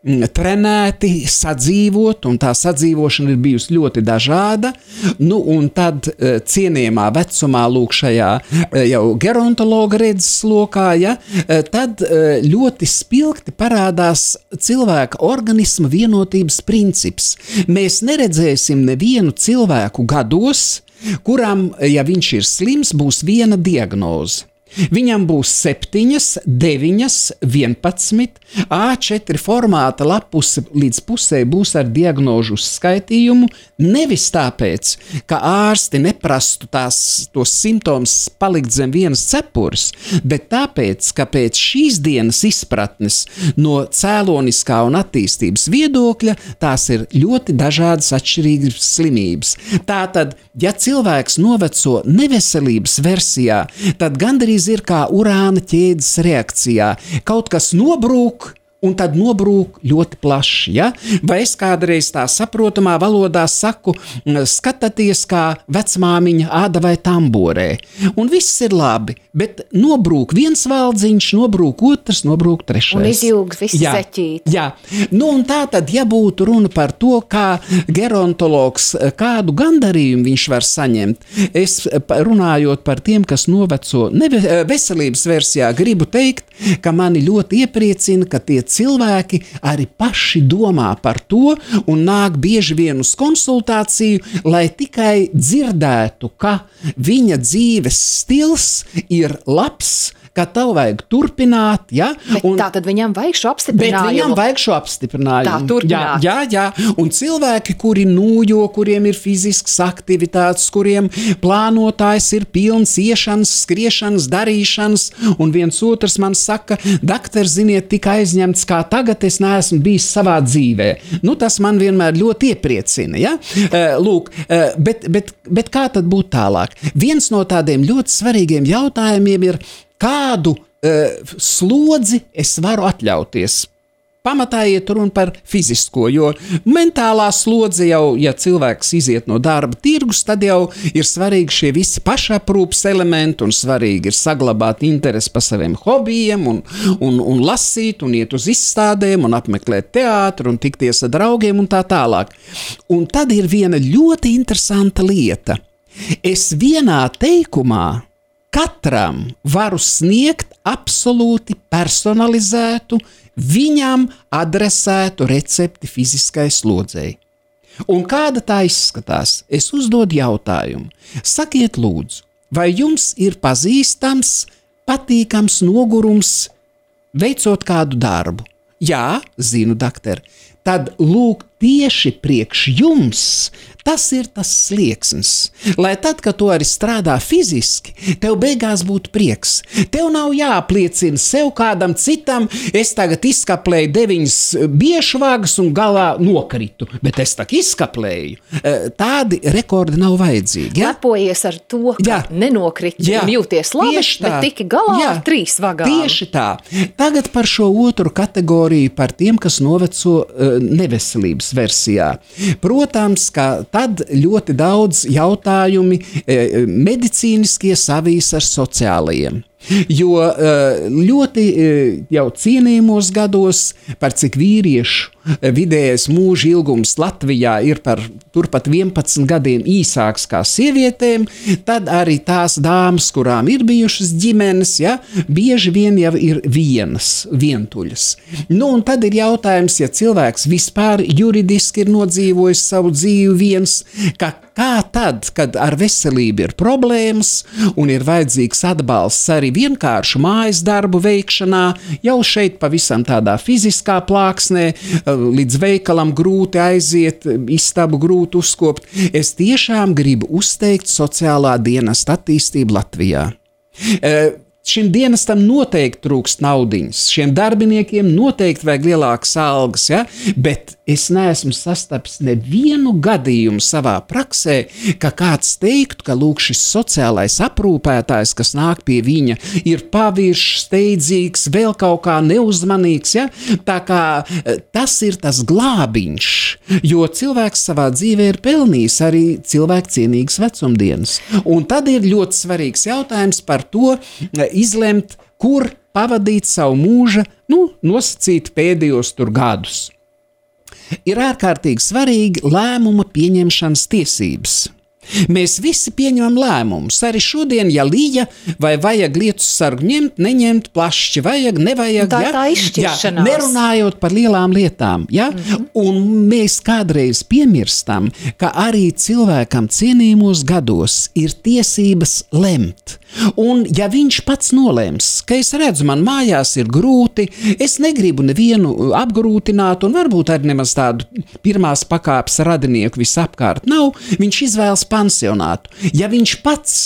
trenēti, sadzīvot, un tā sadzīvošana ir bijusi ļoti dažāda, nu, un tad cienījamā vecumā lūk šajā jau gerontologa redzes lokā, ja, tad ļoti spilgti parādās cilvēka organisma vienotības princips. Mēs neredzēsim nevienu cilvēku gados, kuram, ja viņš ir slims, būs viena diagnoze. Viņam būs septiņas, deviņas, vienpadsmit, A četri formāta lapuse līdz pusē būs ar diagnožu uzskaitījumu, nevis tāpēc, ka ārsti neprastu tās, tos simptomus palikt zem vienas cepures, bet tāpēc, ka pēc šīs dienas izpratnes no cēloniskā un attīstības viedokļa tās ir ļoti dažādas atšķirīgas slimības. Tātad, ja cilvēks noveco neveselības versijā, tad gandrīz gandrīz ir kā urāna ķēdes reakcijā. Kaut kas nobrūk, un tad nobrūk ļoti plaši. Ja? Vai es kādreiz tā saprotamā valodā saku, skatieties kā vecmāmiņa āda vai tamborē. Un viss ir labi, bet nobrūk viens valdziņš, nobrūk otrs, nobrūk trešais. Un izjūg visi jā, zeķīti. Jā, nu un tā tad, ja būtu runa par to, kā gerontologs, kādu gandarījumu viņš var saņemt, es runājot par tiem, kas noveco neve, veselības versijā, gribu teikt, ka mani ļoti iepriecina, ka tie cilvēki arī paši domā par to un nāk bieži vien uz konsultāciju, lai tikai dzirdētu, ka viņa dzīves stils ir labs, ka tev vajag turpināt, ja? Un, tā tad viņam vajag šo apstiprinājumu. Bet viņam vajag šo apstiprinājumu. Tā, turpināt. Jā, jā, jā. Un cilvēki, kuri nūjo, kuriem ir fiziskas aktivitātes, kuriem plānotājs ir pilns iešanas, skriešanas, darīšanas, un viens otrs man saka, dakter, ziniet, tik aizņemts, kā tagad es neesmu bijis savā dzīvē. Nu, tas man vienmēr ļoti iepriecina, ja? Lūk, bet, bet, bet kā tad būt tālāk? Viens no tādiem ļoti svarīgiem jautājumiem ir, kādu uh, slodzi es varu atļauties. Pamatā iet runa par fizisko, jo mentālā slodze jau, ja cilvēks iziet no darba tirgus, tad jau ir svarīgi šie visi pašaprūpas elementi un svarīgi ir saglabāt interesi par saviem hobijiem un, un, un lasīt un iet uz izstādēm un apmeklēt teātru un tikties ar draugiem un tā tālāk. Un tad ir viena ļoti interesanta lieta. Es vienā teikumā katram varu sniegt absolūti personalizētu, viņam adresētu recepti fiziskai slodzei. Un kāda tā izskatās? Es uzdodu jautājumu. Sakiet lūdzu, vai jums ir pazīstams, patīkams nogurums veicot kādu darbu? Jā, zinu, dakter. Tad lūk, tieši priekš jums tas ir tas slieksnis, lai tad, kad tu arī strādā fiziski, tev beigās būtu prieks. Tev nav jāapliecina sev kādam citam, es tagad izskaplēju deviņas biešvagas un galā nokritu, bet es tak izskaplēju. Tādi rekordi nav vajadzīgi. Ja? Lepojies ar to, ka jā. Nenokriti jā. Un jūties labi, bet tiki galā jā. Ar trīs vagām. Tieši tā. Tagad par šo otru kategoriju, par tiem, kas noveco uh, neveselības versijā. Protams, ka tad ļoti daudz jautājumi medicīniskie savīs ar sociālajiem. Jo ļoti jau cienījumos gados, par cik vīriešu vidējais mūža ilgums Latvijā ir par turpat vienpadsmit gadiem īsāks kā sievietēm, tad arī tās dāmas, kurām ir bijušas ģimenes, ja, bieži vien jau ir vienas, vientuļas. Nu, un tad ir jautājums, ja cilvēks vispār juridiski ir nodzīvojis savu dzīvi viens, ka kā tad, kad ar veselību ir problēmas un ir vajadzīgs atbalsts arī vienkāršu mājas darbu veikšanā, jau šeit pavisam tādā fiziskā plāksnē, līdz veikalam grūti aiziet, istabu grūti uzkopt. Es tiešām gribu uzteikt sociālā dienesta attīstību Latvijā. E, Šim dienestam noteikti trūkst naudiņas, šiem darbiniekiem noteikti vajag lielākas algas, ja? Bet es neesmu sastapis nevienu gadījumu savā praksē, ka kāds teiktu, ka lūk šis sociālais aprūpētājs, kas nāk pie viņa, ir paviršs, steidzīgs, vēl kaut kā neuzmanīgs, ja? Tā kā tas ir tas glābiņš, jo cilvēks savā dzīvē ir pelnījis arī cilvēku cienīgas vecumdienas. Un tad ir ļoti svarīgs jautājums par to, izlemt, kur pavadīt savu mūža, nu, nosacīt pēdējos tur gadus. Ir ārkārtīgi svarīgi lēmuma pieņemšanas tiesības. Mēs visi pieņemam lēmumus. Arī šodien, ja līja, vai vajag lietus sargu ņemt, neņemt, plašķi vajag, nevajag. Tā ja? tā izšķiršanās. Ja? Nerunājot par lielām lietām. Ja? Mm-hmm. Un mēs kādreiz piemirstam, ka arī cilvēkam cienījumos gados ir tiesības lemt. Un ja viņš pats nolems, ka es redzu, man mājās ir grūti, es negribu nevienu apgrūtināt un varbūt arī nemaz tādu pirmās pakāpes radinieku visapkārt nav, viņš izvēlas pansionātu. Ja viņš pats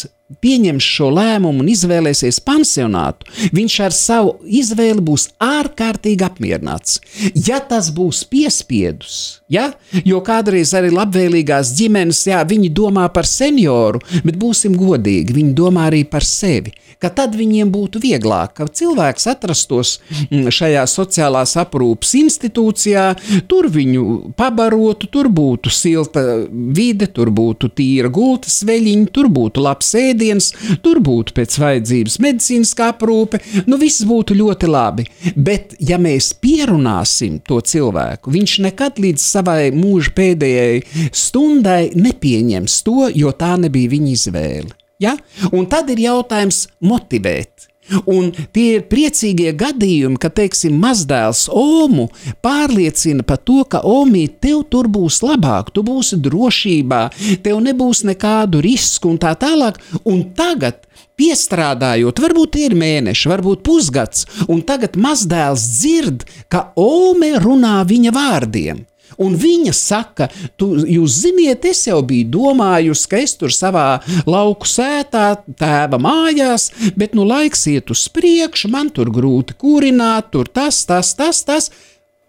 pieņems šo lēmumu un izvēlēsies pansionātu, viņš ar savu izvēli būs ārkārtīgi apmierināts. Ja tas būs piespiedus, ja? Jo kādreiz arī labvēlīgās ģimenes, jā, viņi domā par senioru, bet būsim godīgi, viņi domā arī par sevi, ka tad viņiem būtu vieglāk, ka cilvēks atrastos šajā sociālās aprūpas institūcijā, tur viņu pabarotu, tur būtu silta vide, tur būtu tīra gultas veļiņa, tur būtu labs ēdiens, tur būtu pēc vajadzības medicīniskā aprūpe, nu viss būtu ļoti labi. Bet, ja mēs pierunāsim to cilvēku, viņš nekad līdz savai mūža pēdējai stundai nepieņems to, jo tā nebija viņa izvēle. Ja? Un tad ir jautājums motivēt. Un tie ir priecīgie gadījumi, ka, teiksim, mazdēls Omu pārliecina par to, ka Omīt, tev tur būs labāk, tu būsi drošībā, tev nebūs nekādu risku un tā tālāk. Un tagad, piestrādājot, varbūt ir mēneši, varbūt pusgads, un tagad mazdēls dzird, ka Ome runā viņa vārdiem. Un viņa saka, tu, jūs ziniet, es jau biju domājusi, ka es tur savā lauku sētā, tēva mājās, bet nu laiks iet uz priekšu, man tur grūti kurināt, tur tas, tas, tas, tas.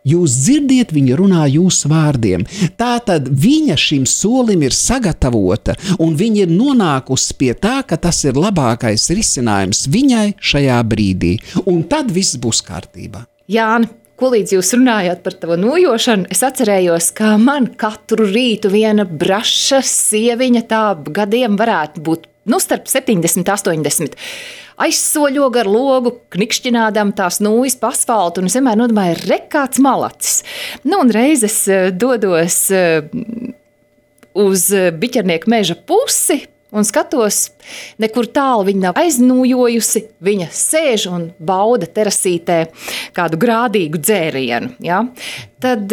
Jūs dzirdiet, viņa runā jūsu vārdiem. Tātad viņa šim solim ir sagatavota, un viņa ir nonākusi pie tā, ka tas ir labākais risinājums viņai šajā brīdī. Un tad viss būs kārtībā. Jāni, ko līdz jūs runājāt par tavu nojošanu, es atcerējos, ka man katru rītu viena braša sieviņa tā gadiem varētu būt, nu, starp septiņdesmit, astoņdesmit. Aizsoļo gar logu, knikšķinādam tās nūjas pa asfaltu, un es vienmēr nodomāju, re, kāds malacis. Nu, un reiz es dodos uz Biķernieku meža pusi, un skatos, nekur tālu viņa nav aiznūjojusi, viņa sēž un bauda terasītē kādu grādīgu dzērienu. Ja? Tad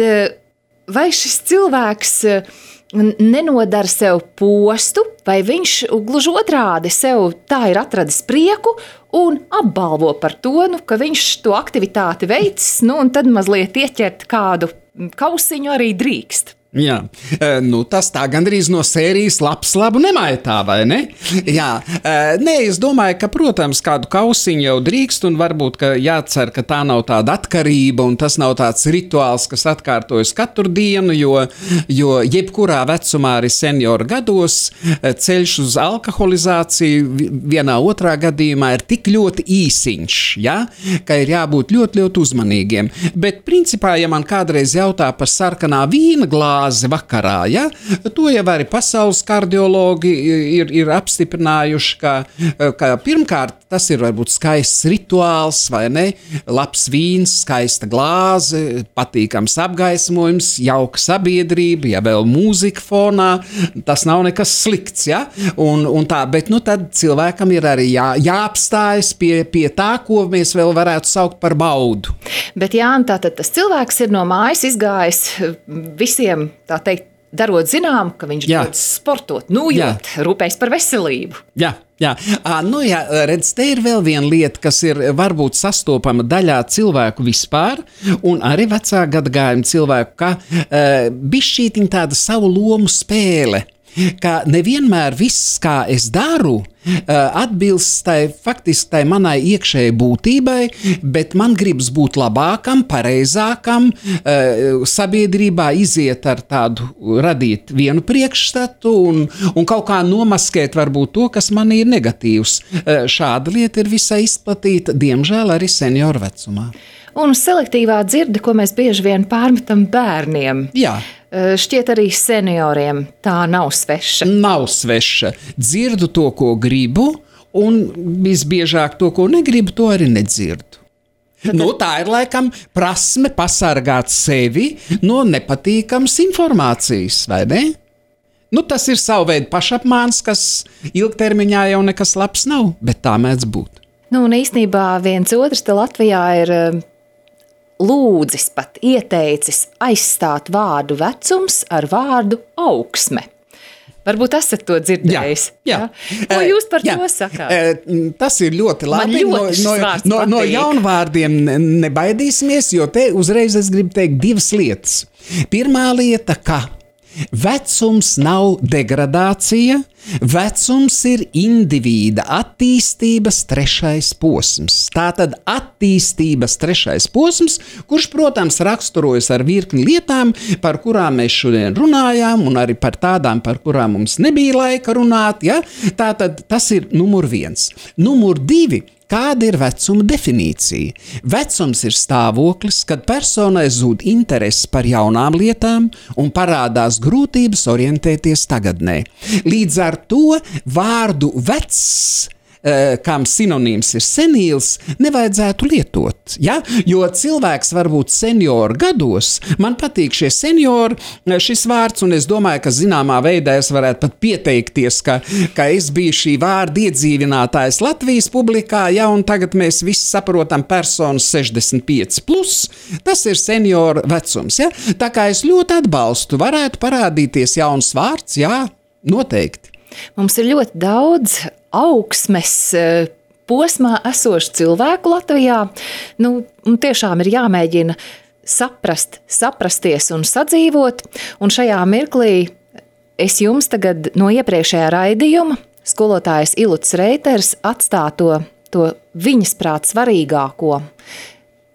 vai šis cilvēks nenodara sev postu, vai viņš gluži otrādi sev tā ir atradis prieku un apbalvo par to, nu, ka viņš to aktivitāti veicis, nu, un tad mazliet ieķert kādu kausiņu arī drīkst. Jā, nu tas tā gandrīz no sērijas labs labu nemaitā, vai ne? Jā, nē, es domāju, ka, protams, kādu kausiņu jau drīkst, un varbūt, ka jācer, ka tā nav tāda atkarība, un tas nav tāds rituāls, kas atkārtojas katru dienu, jo, jo jebkurā vecumā arī senioru gados ceļš uz alkoholizāciju vienā otrā gadījumā ir tik ļoti īsiņš, ja? Ka ir jābūt ļoti, ļoti uzmanīgiem. Bet, principā, ja man kādreiz jautā par sarkanā vīna glāzi, vakarā, ja? To jau arī pasaules kardiologi ir, ir apstiprinājuši, ka, ka pirmkārt tas ir varbūt skaists rituāls, vai ne? Labs vīns, skaista glāze, patīkams apgaismojums, jauka sabiedrība, ja vēl mūzika fonā, tas nav nekas slikts, ja? Un, un tā, bet nu tad cilvēkam ir arī jā, jāapstājas pie, pie tā, ko mēs vēl varētu saukt par baudu. Bet jā, tātad tas cilvēks ir no mājas izgājis visiem, tā teikt, darot zinām, ka viņš dodas sportot, nujūt, rūpējas par veselību. Jā, jā. À, nu jā, redz, te ir vēl viena lieta, kas ir varbūt sastopama daļā cilvēku vispār, un arī vecā gadagājuma cilvēku, ka uh, bišķītiņ tāda savu lomu spēle, ka nevienmēr viss, kā es daru, atbilst tai, faktiski tai manai iekšējai būtībai, bet man gribas būt labākam, pareizākam, sabiedrībā iziet ar tādu, radīt vienu priekšstatu un, un kaut kā nomaskēt varbūt to, kas man ir negatīvs. Šāda lieta ir visai izplatīta, diemžēl arī senioru vecumā. Un selektīvā dzirde, ko mēs bieži vien pārmetam bērniem. Jā. Šķiet arī senioriem tā nav sveša. Nav sveša. Dzirdu to, ko gribu, un visbiežāk to, ko negribu, to arī nedzirdu. Tad... Nu, tā ir laikam prasme pasargāt sevi no nepatīkamas informācijas, vai ne? Nu, tas ir savu veidu pašapmāns, kas ilgtermiņā jau nekas labs nav, bet tā mēdz būt. Nu, un īstenībā viens otrs te Latvijā ir lūdzis pat ieteicis aizstāt vārdu vecums ar vārdu augsme. Varbūt esat to dzirdējis. Jā, jā. Ko jūs par jā. to sakāt? Tas ir ļoti labi. Man ļoti no, no, no jaunvārdiem nebaidīsimies, jo te uzreiz es gribu teikt divas lietas. Pirmā lieta, ka Vecums nav degradācija, vecums ir indivīda attīstības trešais posms. Tātad attīstības trešais posms, kurš, protams, raksturojas ar virkni lietām, par kurām mēs šodien runājām, un arī par tādām, par kurām mums nebija laika runāt. Ja? Tātad tas ir numur viens. Numur divi. Kāda ir vecuma definīcija? Vecums ir stāvoklis, kad personai zūd interesi par jaunām lietām un parādās grūtības orientēties tagadnē. Līdz ar to vārdu vecs, kam sinonīms ir senīls, nevajadzētu lietot. Ja? Jo cilvēks var būt seniori gados. Man patīk šie seniori, šis vārds, un es domāju, ka zināmā veidā es varētu pat pieteikties, ka, ka es biju šī vārda iedzīvinātājs Latvijas publikā, ja, un tagad mēs visi saprotam personas sešdesmit pieci plus. Tas ir senioru vecums. Ja? Tā kā es ļoti atbalstu, varētu parādīties jauns vārds, jā, noteikti. Mums ir ļoti daudz augsmes posmā esošu cilvēku Latvijā. Nu, tiešām ir jāmēģina saprast, saprasties un sadzīvot. Un šajā mirklī es jums tagad no iepriekšējā raidījuma skolotājs Iluts Reiters atstāto to viņas prāt svarīgāko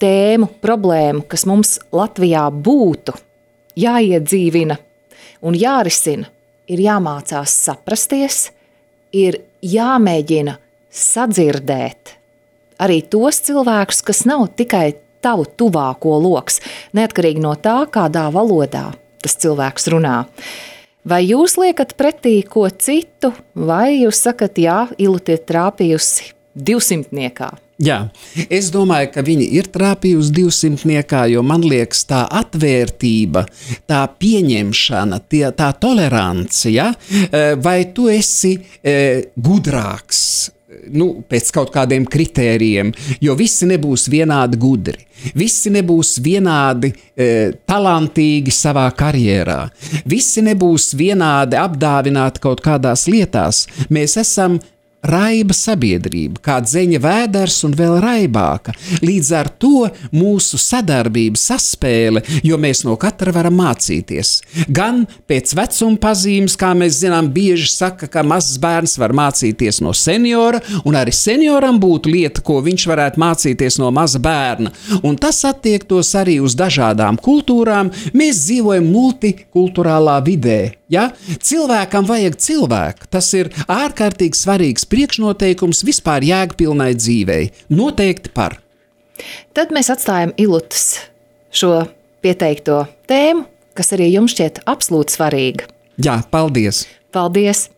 tēmu, problēmu, kas mums Latvijā būtu jāiedzīvina un jārisina. Ir jāmācās saprasties, ir jāmēģina sadzirdēt arī tos cilvēkus, kas nav tikai tavu tuvāko loks, neatkarīgi no tā, kādā valodā tas cilvēks runā. Vai jūs liekat pretī ko citu, vai jūs sakat, jā, Ilute ir trāpījusi divsimtniekā? Jā, es domāju, ka viņi ir trāpījusi divsimtniekā, jo man liekas tā atvērtība, tā pieņemšana, tie, tā tolerance, ja? Vai tu esi e, gudrāks, nu, pēc kaut kādiem kritērijiem, jo visi nebūs vienādi gudri, visi nebūs vienādi e, talantīgi savā karjerā, visi nebūs vienādi apdāvināti kaut kādās lietās. Mēs esam raiba sabiedrība, kā dzeņa vēders un vēl raibāka. Līdz ar to mūsu sadarbība, saspēle, jo mēs no katra varam mācīties. Gan pēc vecuma pazīmes, kā mēs zinām, bieži saka, ka mazs bērns var mācīties no seniora, un arī senioram būtu lieta, ko viņš varētu mācīties no maza bērna. Un tas attiektos arī uz dažādām kultūrām. Mēs dzīvojam multikulturālā vidē. Ja? Cilvēkam vajag cilvēku. Tas ir ārkārtīgi svarīgs priekšnoteikums vispār jēgpilnai dzīvei. Noteikti par. Tad mēs atstājam Ilutas šo pieteikto tēmu, kas arī jums šķiet absolūti svarīga. Jā, paldies. Paldies.